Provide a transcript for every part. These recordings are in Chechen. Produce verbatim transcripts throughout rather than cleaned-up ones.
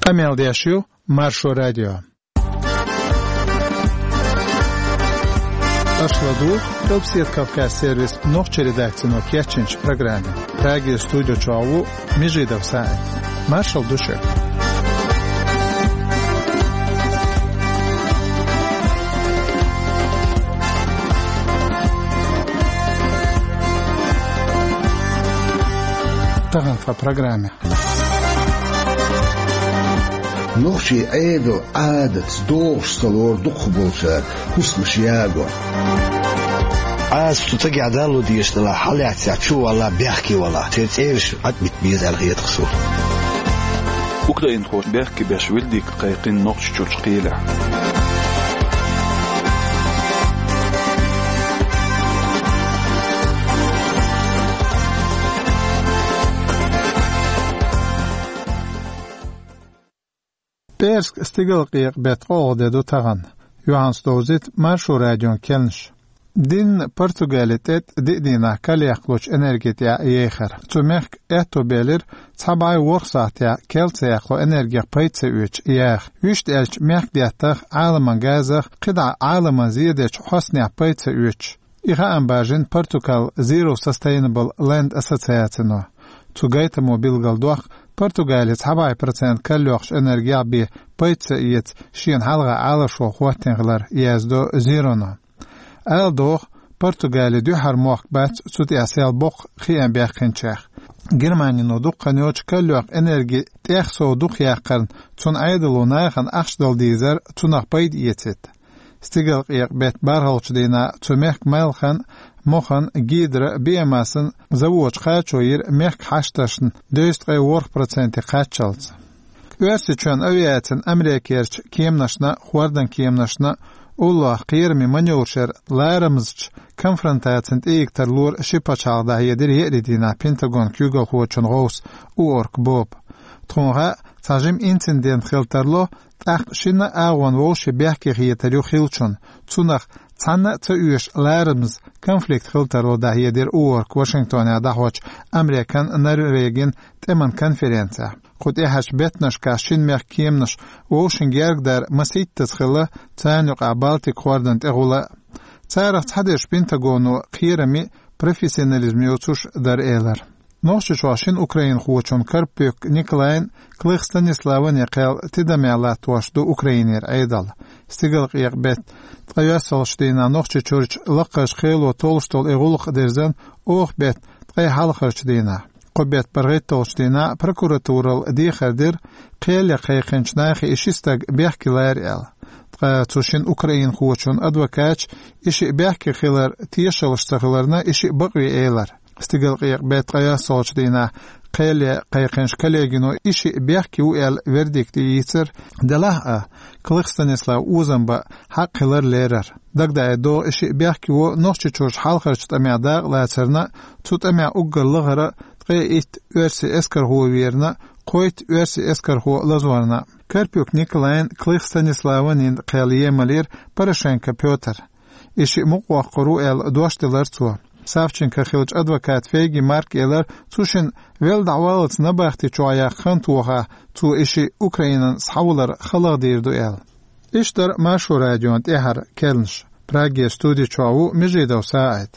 Къамел деш ю Маршо радио. Аша ладугӀу Къилбседа Кавказ сервисан нохчийн редакцино кечйинчу программе. Прагера студи чохь ву Межидов СаӀид. Маршалла ду шуьга. Тахана тхан программе. Нохчийн Ӏедал, Ӏадатца догӀуш ца лору дукхахболчара хӀусамаш яго. Ӏаса цу цагахь далла дезаш далахь, хьалаьццехь чу валахь, бехке валахь, церан цӀераш Ӏад бита беза аьлла хета суна. Украинхоша бехке беш вердикт кхайкхина Нохчийчуьрчу кхелехь. ПӀераска стигалкъекъа беттан ткъолгӀа де ду тахана. Юьхьанца довзуьйту Маршо радион кхаьънаш. Дийнна Португали тӀе диъ дийнахь карлаяккхалучу энерги тӀехь яхара. Цу мехкан аьтто белира цхьа бӀе ворхӀ сахьтехь кел ца яккхало энергех пайда ца оьцуш яха. Вуьшта аьлча, мехкан деттах, Ӏаламан газах, кхидӀа Ӏаламан зен дечу хьостанех пайда ца оьцуш. И хаам бажийна Португалин Zero Sustainable Land ассоциацино. Цу гайтамо билгалдоккху, Португали цхьа бӀе процент карлайоккхучу энергех бен пайда ца эца шена хьалха Ӏалашо хӀоттийна хилар, яздо Зероно. Ала догӀу, Португали дуьххьара мохк бац цу тӀехь сел боккха хиам баьккхинчех. Германино дукха хан йоццуш карлайоккху энерги тӀех сов дукха яккхарна, цуьнан Ӏедало нахана ахча дала дезара, цунах пайда эцийта. Стигалкъекъа беттан бархӀалгӀачу дийнахь цу мехкан Малхин, Мохин, Гидро, биомассан заводаш кхачо йира мехкан хьашташна дезткъе ворхӀ проценте кхаччалц. Оьрсийчоьнан авиацина Америкерчу кеманашна, хӀордан кеманашна уллохь кхераме маневраш яра ларамазчу конфронтацина тӀе йигна тарлора ши пачхьалкх, дӀахьедира еарин дийнахь Пентагонан куьйгалхочун гӀовс Уорк Боба. Тхуна хаьа, цхьа жима инцидент хила тарло, тӀаккха шина агӀонна вовшийн бехке хетар ю хиллачунна, цунах цхьанна а ца оьшу ларамаза конфликт хила тарло, дӀахьедира Уорка Вашингтонехь дӀахьочу Американ, Норвегин тӀеман конференцехь. Кху тӀаьхьарчу беттанашкахь шина мехкан кеманаш вовшийн герга дар масийттаза хилла, царна юкъахь Балтик хӀордан тӀегӀула а. Царах цхьадерш Пентагоно кхераме, профессионализм йоцуш дара, элира. Нохчийчохь шина украинхочун Карпюк Николайн, Клых Станиславан кхел тидамехь латтош ду Украинера Ӏедал. Стигалкъекъа беттан ткъайоьссалгӀачу дийнахь Нохчийчуьрчу лакхарчу кхело толлуш долу и гӀуллакх дерзина оха беттан ткъе хьалхарчу дийнахь. Кху беттан бархӀитталгӀачу дийнахь прокуратуралла дехар дира, кхел ян кхайкхинчу нахе и ши стаг бехке лара аьлла. Ткъа цу шина украинхочун адвокаташа и шиъ бехке хилар тешаллаш ца хиларна, и шиъ бакъве элира. Стигалкъекъа беттан ткъайоьссалгӀачу дийнахь кхел ян кхайкхинчу коллегино и шиъ бехке ву аьлла вердикт йийцира, делахь а Клых Станислав озам бан хьакъ хилар лерира. Дагадаийта догӀу, и шиъ бехке во Нохчийчуьрчу хьалхарчу тӀамехь дакъалацарна, цу тӀамехь уггар лахара ткъе итт оьрсийн эскархо верна, кхойтта оьрсийн эскархо лазорна. Карпюк Николайн, Клых Станиславан кхел емалийра Порошенко Пётр. И шиъ мукъавоккхур ву аьлла дош делира цо. Савченкох хиллачу адвоката Фейги Марка элира, цу шина велла дӀаваллалц набахти чохь яккха хан тоха, цо и шиъ Украинан схьавалар халагӀа дийр ду аьлла. Иштта дара Маршо радион тӀаьхьара кхаьънаш. Прагера студи чохь ву Межидов СаӀид.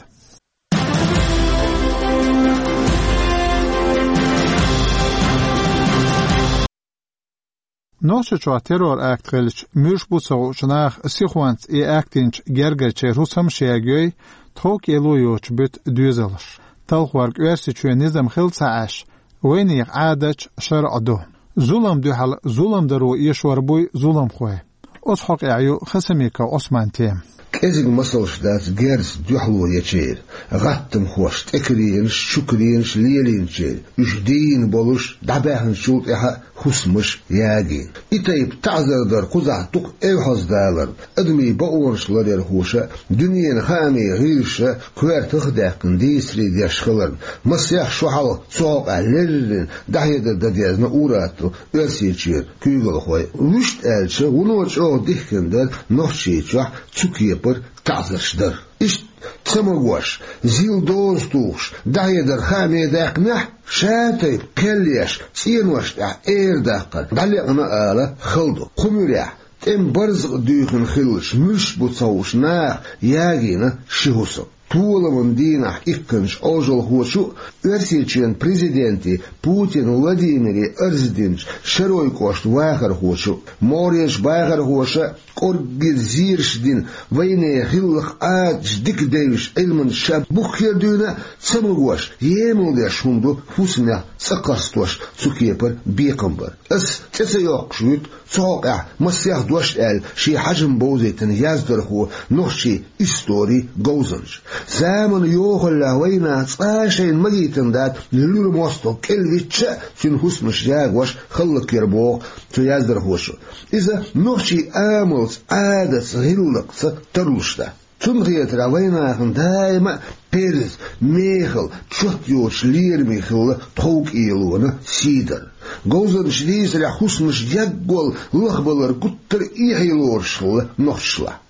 Нохчийчохь террор-акт хилча, муьлш бу ца хуучу наха сихонца и акт йинчу гергарчеран хӀусамаш ягайой, тхов-кӀело йоцуш буьту доьзалш. Талхорг Оьрсийчоьнан низам хилла ца Ӏаш, вайнехан Ӏадаташ, шарӀо ду. Зулам дуьхьал зулам даро эшор буй зуламхой. Оцу хьокъехь ю Хасимиков Ӏусман тема. КӀезиг масалш дац герзаца дуьхьало ечеран, гӀаттамхошна тӀекаренаш, чукаренаш лелийначеран, уьш дийна болуш дӀабаьхначул тӀаьхьа хӀусамаш ягийна. И тайпа таӀзар дар кхузахь дукха эвхьаздаларна, адамийн бакъонаш ларъярхоша, дуьненан хаамийн гӀирсаша коьртах а даьккхина дийцаре деш хиларна, масех шо хьалха цу хьокъехь леррина дӀахьедар дан дезна ур-атталла Оьрсийчуьра куьйгалхой. Вуьшта аьлча, вуно чӀогӀа дихкина дара Нохчийчохь цу кепара таӀзарш дар. Иштта Ца магош, зил доза тухуш, дӀахьедар хааме даьккхинехь, ша тайпа кхел еш, цӀенош тӀехь эр даккхар дӀалекъна ала хала ду. Кху муьрехь, тӀеман барзакъ дуьйхина хиллачу муьлш бу ца хууш наха ягийна ши хӀусам. Толаман дийнахь иккхинчу Ӏожалхочу а, Оьрсийчоьнан президенте Путин Владимире арз динчу Шаройн кӀоштан вахархочу а, могӀарерчу бахархоша а кӀорггера зераш дина, вайнехан хиллакх Ӏадаташ дика девзаш Ӏилманчаша буххера дуьйна а, ца магош, емал деш хӀума ду хӀусамех цӀа кхарстош цу кепара бекхам бар. Ас цӀе ца йоккхуш вуьту, цу хьокъехь масех дош аьлла, шен хьежам бовзийтина яздархо, нохчийн историн говзанча. Заманан йохаллехь вайна цкъа а шайна магийтина дац луьра мостагӀ кӀелвичча а, цуьнан хӀусамаш ягош хӀаллакьхир боху цу яздархочо. Иза нохчийн амалца, Ӏадатца, гӀиллакхца тарлуш дац. Цунна хетарехь, вайнахана даима а кхерза, мехала, чот йоцуш лераме хилла тховкӀелонан сий дар. Говзанчаша дийцарехь, хӀусамаш яггал лахбалар гуттар а эхье лоруш хилла нохчашлахь.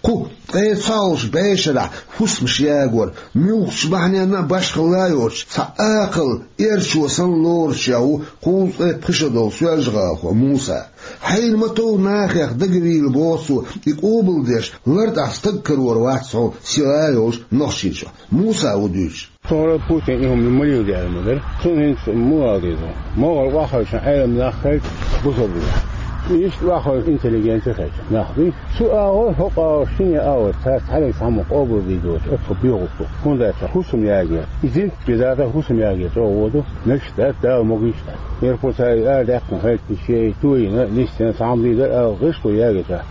Кху ткъе цхьалгӀачу бӀешарахь хӀусамаш ягор муьлххачу бахьаненна а башхалла йоцуш, цхьа акхалла эрчо санна лоруш ву кхузткъе пхи шо долу соьлжагӀалахо Муса. Хьайна ма-тов нахех дагавийла, боху цо, и къобалдеш лартӀехь стаг карор вац хьуна сила йолчу Нохчийчохь. Муса ву дуьйцуш. Цо Путин и хӀума ма леладе аьлла ма дара. Цунна хӀинца муха ала деза? МогӀар охьахевшина Ӏелам нах хилча, бусалба нах. Иштта охьахевшина интеллигенция хилча нах дуй. Цу агӀор, хӀокху агӀор, шинне агӀор, цара цхьаьнниг цхьаммо къобалдийр доцуш, оцу бегӀу бу. ХӀунда аьлча хӀусам ягор, и зинтик бизза хӀусам ягор чӀогӀа воду, мегаш дац, Дала могуш дац. Мера кху цара и арадаьккхина хилча, и шен туйина, нисдина, цхьа хӀума дийр дара ала гӀишло ягор цара.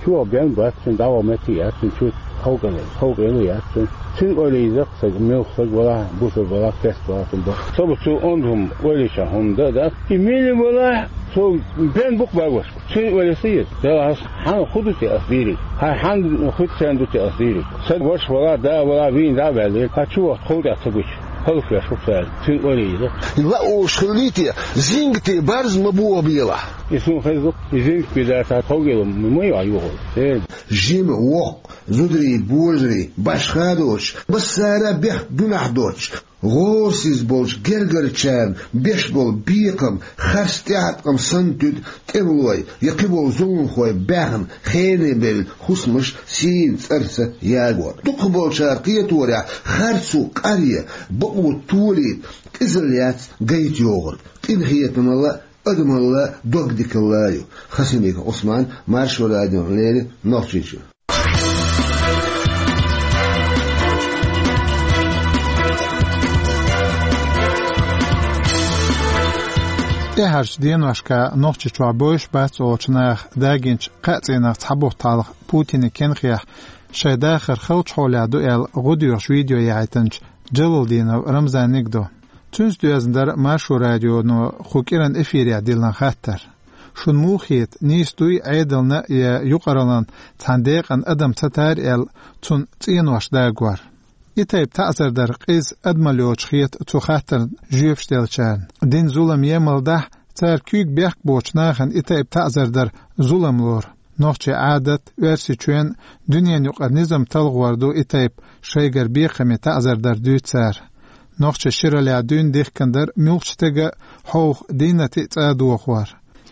Чу бен бац, цуьнан дӀаваха метте яц, цуьнан чу ховкъе-, ховкъело яц цуьнан. Цуьнан ойла йиза-кх, сага муьлхха сага валахь, бусалба валахь, керста валахь, цуьнан бу. Со бу цу онда хӀума ойла йича хӀума дан а дац. И мила валахь, цо бен бу-кх бегош. Цуьнан ойла ца йиза. Делахь ас хьан хӀун ду те ас дийриг? Хьан, хьан хӀуьтту царна ду те ас дийриг? Сан ваша валахь, да валахь, вийна дӀа а ваьлла, хьан чу вахта ховкъехь ца гуча, хӀаллаквеш ву цара. Цуьнан ойла йиза. Лаош хилла те, зингате барз ма бохабелахь. И суна хеза-кх, и зингат бизза цхьа ховкъело ма ю хьан юхалла. Э. Жима, воккха, зударий, божарий, башха а доцуш, массара а бехк, гуьнахь доцуш, гӀорасиз болчу гергарчарна беш болу бекхам харц тӀеӀаткъам санна туьду тӀемалой я кхиболу зуламхой баьхна, хене бевлла хӀусамаш сийна цӀарца ягор. Дукхахболчара кхеторехь, харцо къаръян, бакъо толийта къизалла яц гайта йогӀург. Къинхетамалла а, адамалла а, догдикалла а ю. Хасимиков Ӏусман, Маршо радиона леррина, Нохчийчоь. ТӀаьхьарчу деношкахь Нохчийчохь бевзаш бац олучу наха дагийначу кхаа цӀийнах цхьа бутт хьалха Путинан кенхехь шайн дахар халчу хьолехь ду аьлла гӀо доьхуш видео яхьийтинчу Джалалдинов Рамзаниг ду. Цуьнца доьзна дара Маршо радионо кху кӀиран эфирехь диллина хаттар. Шуна муха хета, нийса дуй Ӏедална я юкъараллин цхьана декъана адам ца тар аьлла, цунна цӀенош дагор? И тайпа таӀзар дар къиза, адамалла йоцуш хета цу хаттарна жоьпаш деллачарна. Дина зулам емал дахь, цара куьйга бехк боцучу нахана и тайпа таӀзар дар зулам лору. Нохчийн Ӏадат, Оьрсийчоьнан, дуьненан юкъара низам талхор ду и тайпа шайгара бекхаме таӀзар дар, дуьйцу цара. Нохчаша шираллехь дуьйна дихкина дара муьлххачу стага а, хьовха дийнате а цӀа дохор.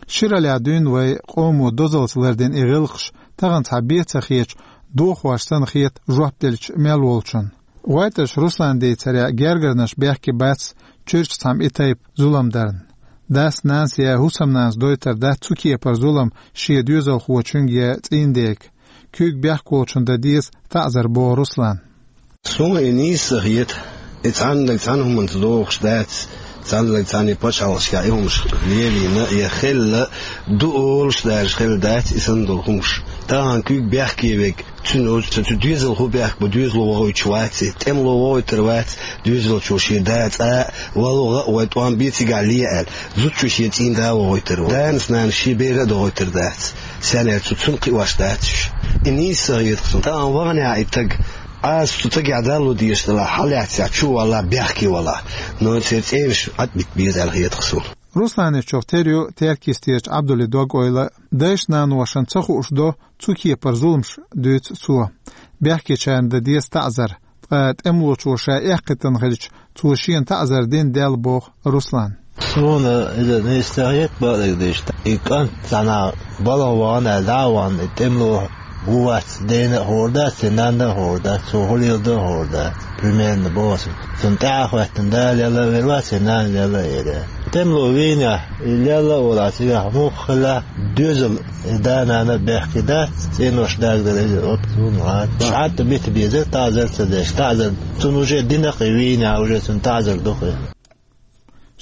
Шираллехь дуьйна вай къомо дозаллица лардина и гӀиллакхаш тахана цхьа бен ца хеташ, дохош санна хета жоп делча мел волчунна. ГӀойтӀаш Руслана дийцарехь, гергарнаш бехке бац чуьрачу цхьамма и тайпа зулам дарна. Дас-нанас я хӀусамнанас дойтур дац цу кепара зулам шен доьзалхочуьнга я цӀийнан дега. Куьйга бехк волчунна дан деза таӀзар, боху Руслана. Суна и нийса ца хета. И цхьаннаг цхьана хӀуманца догӀуш дац, цхьаннаг цхьана пачхьалкхашкахь и хӀумаш лелийна я хилла, ду олуш а даьржа хилла дац и санна долу хӀумаш. Тахана куьйга бехке верг, цуьнан оцу, цу доьзалхо бехк бу, доьзало вохуьйтуш вац и, тӀемало вохуьйтур вац, доьзалчо шен да цӀа а, валлахӀи, вай тӀом бен цигахь ле аьлла, зудчо шен цӀийнан да вохуьйтур ву. Данас-нанас шен бер а дохуьйтур дац, сенна аьлча цу, цунна кхиош дац уьш. И нийса ца хета-кх суна. Тахана ваханехь и стаг, Ӏаса цу стагехь далла дезаш делахь, хьалаьцнехь, чу валахь, бехке валахь. Но церан цӀераш Ӏад бита беза аьлла хета-кх суна. Русланичух тера ю Теркйистерчу Ӏабдулин дог-ойла. Дайшна-наношна ца хууш до цу кепара зуламаш, дуьйцу цо. Бехкечарна дан деза таӀзар, ткъа тӀемалочо ша эккхийтина хилча, цо шена таӀзар дина даьлла, боху Руслана. Суна иза нийса ца хета, бакъдерг дийцича. И кӀант цхьана балха вахана аьлла, дӀа а вахана, и тӀемало ву-вац дена а хуур дац, цуьнан нанна а хуур дац, цо хӀун леладо а хуур дац. Примерно боху ас. Цунна тӀаьхьа хӀоьттина, да лелла а велла, цуьнан нана лелла а елла. ТӀемало вийнехь, и лелла а волахь, цигахь муха хилла доьзал, и да-нана а бехке дац, цӀенош дагадар иза, оцу суна вац. Ша тӀе бита беза, таӀзар ца деш, таӀзар цунна уже дина-кх и вийнехь, уже цунна таӀзар ду-кх и.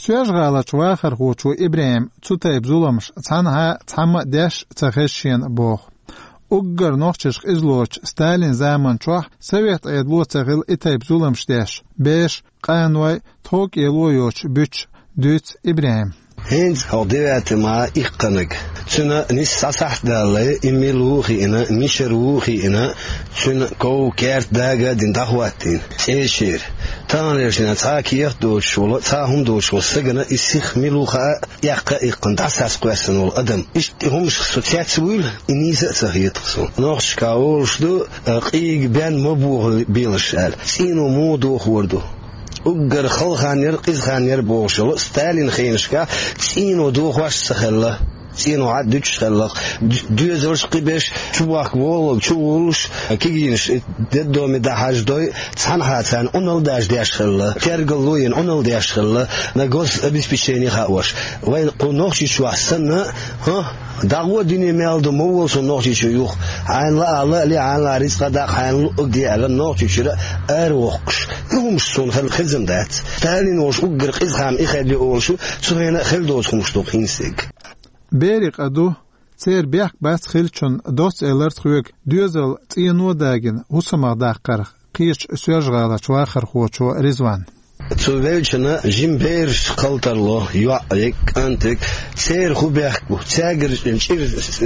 Соьлжа-ГӀаларчу вахархочо ИбрахӀима цу тайпа зуламаш цхьанхьа а, цхьамма а деш ца хеза шена, боху. Уггар нохчашка къизалоцучу Сталинан заманчохь совет Ӏедало ца хилла и тайпа зуламаш деш, бераш, къаной, тхов-кӀело йоцуш буьтуш, дуьйцу ИбрахӀима. ХӀинца хьо девятый май иккхинарг. Цуьнан нийсса сахьт далале, и мила ву а хиъна, мичара ву а хиъна, цуьнан ков, керт дага а дина, дӀахӀоттийна цӀерачуьра. Таханлерчу дийнахь цхьа а кехат доцуш волу, цхьа а хӀума доцуш волу стагана и сиха мила ву хаа, эккха а иккхина, дӀасакхоьссина волу адам. Иштта и хӀуманашка со цец а вуьйла, и нийса а ца хета-кх суна. Нохчашкахь олуш ду, а, къийга бен ма бохалуш белаш аьлла. ЦӀийно муха дохор ду? Уггар хала хан яра, къиза хан яра бохуш йолу Сталинан хенашкахь цӀийно дохош а ца хилла. ЦӀийно хьа дуьтуш хилла-кх. Д-, доьзалш кхибеш, чу бохка воллалг чу воллуш, кегийнаш детдоме дӀахьаждой, цхьанхьа царна Ӏуналла даже деш хилла, тергал луйина Ӏуналла деш хилла, на гособеспечение хаош. Вайн кху Нохчийчохь санна, хӀа? ДӀагӀо, дуьне мел ду, ма волу суна Нохчийчу юха. Хьайна лаахь лаале, хьайна лаахь рицкъа даккха, хьайна луъург де аьлла, Нохчийчуьра аравоккхуш. И хӀумаш суна хила хезна дац. Сталин волуш уггар къиза хан и хилла олуш, цу хенахь а хилла доцу хӀумаш ду-кх хӀинца дерг. Берийн къа ду, церан бехк бац хиллачунна доцца элира тхоьга доьзал цӀийно дагийна хӀусамах даккхарх кхечу Соьлжа-ГӀаларчу вахархочо Ризвана. Цу веллачунна жима бераш кхалтарло, йоӀ верг, кӀант верг, церан хӀун бехк бу, цаьргара чӀир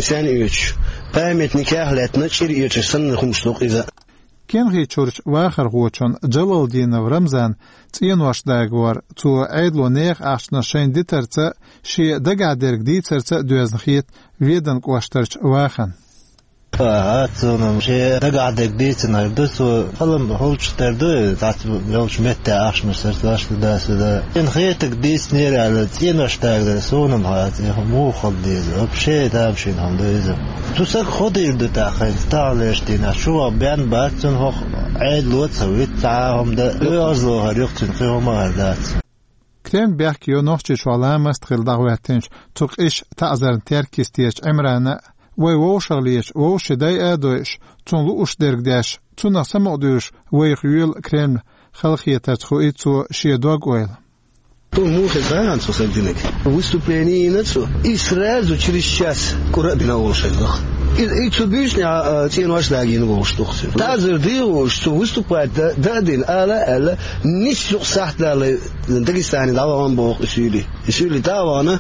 сенна оьцуш, памятникех а лаьттина, чӀир оьцуш санна хӀумаш ду-кх иза. Кенхичуьрчу вахархочун Джалалдинов Рамзанан цӀенош дагор цо Ӏедало нехан ахчанаш шайна дитарца а, шен дагахь дерг дийцарца а доьзна хета Веданан кӀоштарчу вахана. Ага, цунна шен дагахь дерг дийцинарг ду, цо хала-м хуьлуш тера ду, цхьацца йолчу метте ахчанаш сацош ду, да, со да. Шена хетарг дийцинера аьлла, цӀенош дагадара суна-м хаьа, цӀе муха хила деза, вообще тамашийна хӀума ду иза. Цу стага хӀун дийр ду тӀаккха хӀинца, таханлерчу дийнахь, чуван бен бац, цунна хӀокху Ӏедало а ца вуьту, цхьа а хӀума дан, оьгӀазло хӀара ю-кх цуьнан, кхин хӀума а хӀара дац. Кремль бехке йо Нохчийчохь ламаст хилла дӀахӀоьттинчу цу къиза таӀзарна теркйистерчу Ӏимрана а, вай вовшахлечу вовшийн дайа а дойуш, цунна лууш дерг деш, цунах самукъадуьйлуш вайх йоьлу Кремль, халахетарца хуий цо шен дог-ойла. Цо муха хеза хьуна цу стага динарг? Выступление йина цо, и сразу через час кӀура а бина волуш хезна-кх. И, и цу буьйсанехь, а, цӀенош дагийна волуш ду-кх цуьнан. ТаӀзар дийр волуш, цо выступать дан, дан а дина, ала а аьлла, нийсса юкъ сахьт далале, Дагестане дӀавахана боху и суьйлий. И суьйлий дӀа а вахана,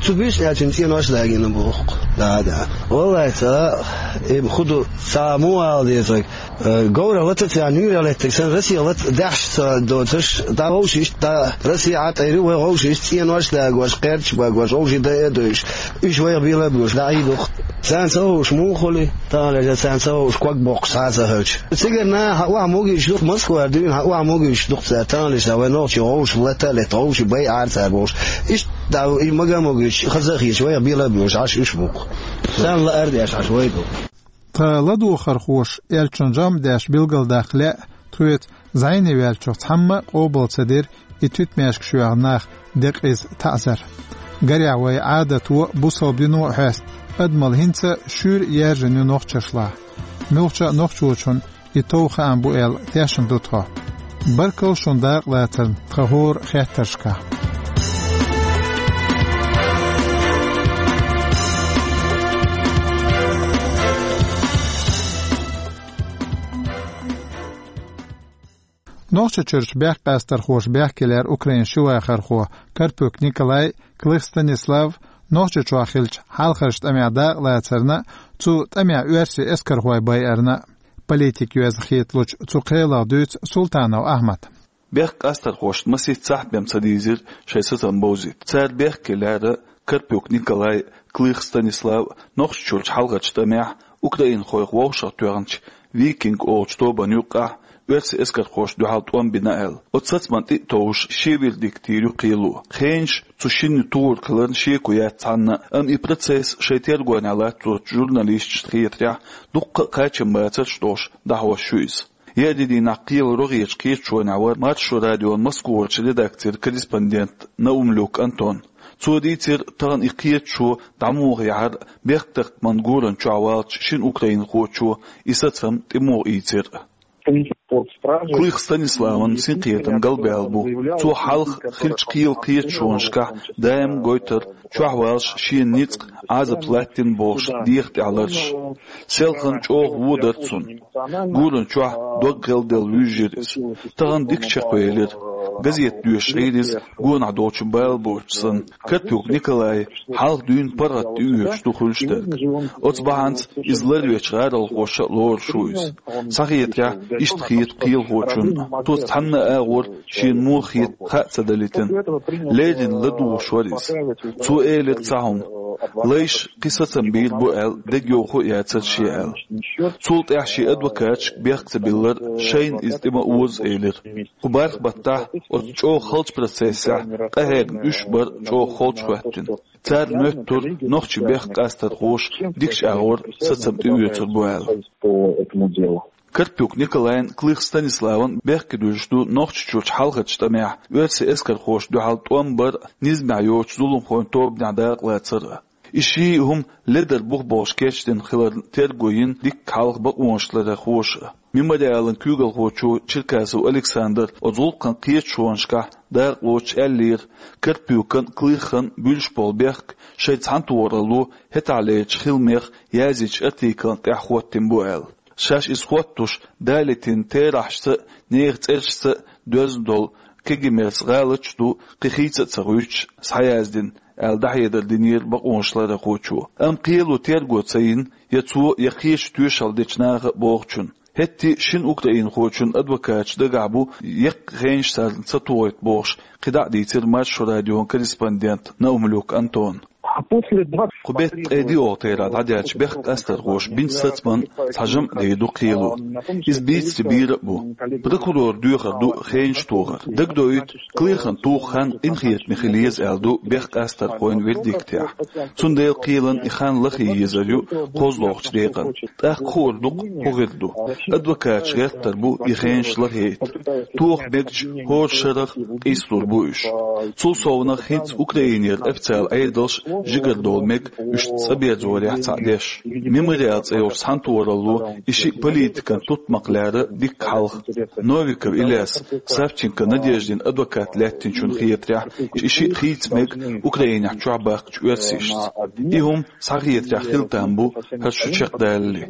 цу буьйсанехь цуьнан цӀенош дагийна боху-кх. Да, да. Валлай, ца, и хӀун ду, ца муха ала дезарг. Э, говрах лата а ца, нуьйрах лаьттарг санна, Россех лата а даьхьаш ца доцуш, дӀа вовшашца, дӀа Россе Ӏа тӀера, вай вовшашца цӀенош дагош, кхерчаш богош, вовшийн дайа а дойуш, уьш вайх бела а боьлуш, дӀа Ӏийр ду-кх. Царна ца хууш муха хуьлу, таханлерчу царна ца хууш ког боккхуш цхьа а ца хилча. Цигара наха хьан охьа могуьйтуш ду-кх, Москвара дуьйна хьан охьа могуьйтуш ду-кх цара, таханлерчу вай нохчий вовшах лата а летта, вовшийн байа Ӏара цара бохуш. Иштта и мага а могуьйтуш, хаза а хеташ, вайх бела а боьлуш, Ӏаш уьш бу-кх. Царна лаар деш Ӏаш вай ду. Тхан ладогӀархоша элчун жамӀ деш билгалдаккха лаьа, тхоьца зӀене ваьллачух цхьамма а къобал ца дира и туьтмешкаш йоьхна нах декъаза таӀзар. Гарехь, вай Ӏадато а, бусалба дино а хьоьсту адамалла хӀинца а шуьйра яьржина ю нохчашлахь. Муьлххачу а нохчочунна и тов хаам бу аьлла тешна ду тхо. Баркалла шуна дакъалацарна тхан хӀора хеттаршкахь. Нохчийчуьрчу бехк къастархоша бехке лаьара Украинан ши вахархо Карпюк Николай, Клых Станислав, Нохчийчохь хиллачу хьалхарчу тӀамехь дакъалацарна а, цу тӀамехь оьрсийн эскархой байарна а. Политикан йоьзна хеталучу цу кхелах дуьйцу Султанов Ахьмада. Бехк къастархошна масийтта сахьт бен ца дийзира шайн сацам бовзийта. Цара бехке лаьара Карпюк Николай, Клых Станислав, Нохчийчуьрчу хьалхарчу тӀамехь украинхойх вовшахтоьхначу «Викинг» олучу тобанна юккъехь оьрсийн эскархошна дуьхьал тӀом бина аьлла. Оцу сацамна тӀе а товш, шен вердикт йийр ю кхело. Хенаш цу шинна тухур хиларна шеко яц цхьанна, амма и процесс шайн тергонехь латточу журналисташна хетарехь, дуккха а кхачамбацарш долуш дӀахьош ю иза. Еарин дийнахь кхелан рогӀерчу кхеташонехь вара Маршо радион Москварчу редакцин корреспондент Наумлюк Антон. Цо дийцира, тахана и кхеташо дӀа муха яхьара бехктакхаман гуран чохь валлачу шина украинхочо и сацам тӀе муха ийцира. Клых Станиславан синкхетам галбаьлла бу. Цо хьалха хиллачу кхелан кхеташонашкахь даим гойтура чохь валлалц шена ницкъ, Ӏазап латтийна бохуш дегӀан тӀехь лараш. Селхана чӀогӀа вон дара цунна. Гуран чохь дог гӀелделла вуьйжира иза. Тахана дика чекхвелира. Газета доьшуш Ӏийра иза, гонах долчун бала боцуш санна. Карпюк Николай хьалха дуьйна паргӀат тӀеоьцуш ду хуьлуш дерг. Оцу бахьанца иза ларвечу гӀаролхоша а лоруш ву иза. Схьахетарехь, иштта хета кхелахочунна. Цо цхьанна а агӀор шена муха хета хаа ца далийтина. Леррина ладугӀуш вара иза. Цо элира цхьа хӀума. Лайша кхин сацам бийр бу аьлла, дегайовхо а яцара шен аьлла. Цул тӀаьхьа шен адвокаташка бехк ца биллар, шайна иза тӀе ма оза элира. Кху бархӀ баттахь оцу чӀогӀа халчу процессехь къахьегна уьш бара чӀогӀа холчу хӀоьттина. Цара моьттура нохчийн бехк къастархоша дикачу агӀор сацам тӀеоьцур бу аьлла. Карпюк Николайн, Клых Станиславан бехке дуьллуш ду Нохчийчуьрчу хьалхарчу тӀамехь оьрсийн эскархошна дуьхьал тӀом бар а, низамехь йоцучу зуламхойн тобанехь дакъалацар а. И ши хӀума ледар бух болуш кечдина хиларна терго йина дикка хьалха бакъонашларъярхоша а. Мемориалан куьйгалхочо Черкасов Александра оцу гӀуллакхан кхеташонашкахь дакъалоцуш аьллера, Карпюкан а, Клыхан а буьллуш болу бехк шайн цхьаьнатохаралло хӀетахьлерчу хиламех язйинчу артиклан тӀехь хӀоттийна бу аьлла. Шаьш иза хӀоттош, далийтина терахьашца а, нехан цӀерашца а доьзна долу Кегемес гӀала чу ду, кхин хийца а ца хуьйцуш, схьаяздина, аьлла, дӀахьедар динера бакъонашларъярхочо. Амма кхело терго ца йина я цо, я кхечу тоьшалла дечу наха а бохучун. ХӀетте а шина украинхочун адвокаташ дагахь бу, яккхий хенаш царна ца тухийта бохуш, кхидӀа а дийцира Маршо радион корреспондент Наумлюк Антон. Кху беттан ткъе диъ терахь дӀадаьлча бехк къастархоша бинчу сацаман цхьа жамӀ дийр ду кхело. Иза бийцаре бийр а бу. Прокуроран доьхар ду хенаш тохар. Дагадоуьйту, Клыхан туху хан къинхетаме хила еза аьлла ду бехк къастархойн вердиктехь. Цундела кхелан и хан лахъе езар ю кхозлагӀчу декъана. ТӀаккха хуур ду-кх хӀун хир ду. Адвокаташ гӀертар бу и хенаш лахъяйта. Тоха мегачу хӀора шарах къийсалур бу уьш. Цул совнаха хӀинца Украинера официалан Ӏедалш жигара довла мега уьш цӀа берзорехь цхьаъ деш. Мемориал цӀе йолчу цхьаьнатохаралло и шиъ политикан тутмакх лаьара дикка хьалха. Новиков Ильяс, Савченко Надеждин адвокат лаьттинчунна хетарехь, и шиъ хийца мега Украинехь чохь баьхкачу оьрсашца. И хӀума схьахетарехь хила там бу, хӀара шу чекхдалале.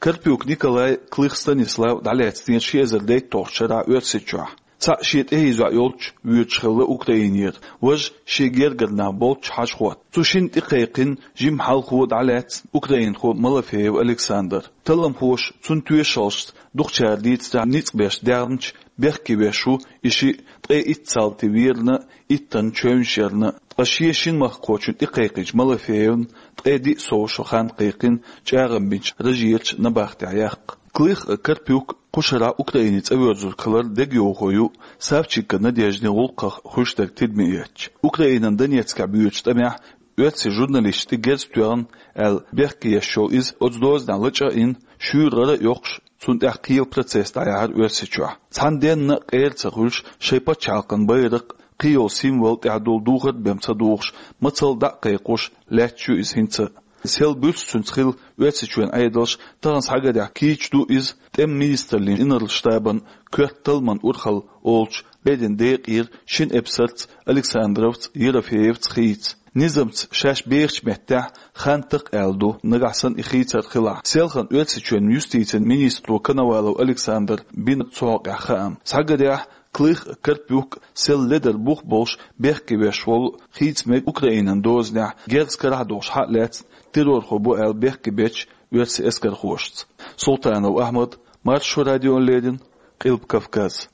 Карпюк Николай, Клых Станислав дӀалаьцнера ши эзар дейтталгӀачу шарахь Оьрсийчохь. Цхьаъ шен тӀехьа йоӀ йолчу воьдуш хилла Украинера, важа шен гергара нах болчу хьажа хӀотта. Цу шинна тӀекхайкхина жимма хьалхо дӀалаьцна украинхо Малафеев Александр. Талламхоша цуьнан тоьшаллашца дукхачара дийцарехь ницкъ беш даьхнача бехке веш ву и шиъ ткъе итт салти верна а, иттанна чевнаш ярна а. Ткъа шен шина махкахочунна тӀекхайкхинчу Малафеевна ткъе диъ сов шо хан кхайкхина чӀагӀам бинчу Рожерчу набахтехь яккха. Клых а, Карпюк а кху шарахь Украине цӀа воьрзург хиларна дегайовхо ю Савченко Надеждин гӀуллакхах хуьлуш дерг тидаме эцча. Украинан Донецкехь боьдучу тӀамехь оьрсийн журналисташна тӀе герз тоьхна аьлла бехке еш йолу иза оцу дозанехь лачкъа а йина, шуьйра гӀара а йоккхуш, цунна тӀехь кхелан процесс дӀаяьхьира Оьрсийчохь. Цхьана денна а къера ца хуьлуш, шайн пачхьалкхан байракх, кхин йолу символ тӀехь долу духар а бен ца духуш, мацалла дӀа а кхайкхош, лаьтташ ю иза хӀинца а. Сел буьрса цуьнца хилла Оьрсийчоьнан Ӏедалш тахана схьагарехь кийча ду иза тӀеман министраллин инарла штабан коьрта талламан урхалла олучу леррина декъера шина эпсарца Александровца, Ерофеевца хийца. Низамца шаьш бехачу меттехь хан такха аьлла ду, нагахь санна и хийцар хилахь. Селхана Оьрсийчоьнан юстицин министро Коновалов Александра бина цу хьокъехь хаам. Схьагарехь, Клых а, Карпюк а сел ледар бух болуш бехке веш волу хийца мега Украинан дозанехь герз карахь а долуш схьа а лаьцна террорхо бу аьлла бехке бечу оьрсийн эскархошца. Султанов Ахьмад, Маршо радиона леррина, Къилба Кавказ.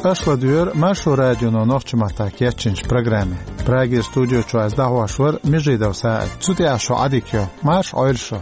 Аша ладуьйгӀира Маршо радионо нохчийн маттахь кечйинчу программе. Праге студио чу аз дӀахьош вара Межидов СаӀид. Цу тӀехь шун Ӏадика йо. Марша Ӏойла шу.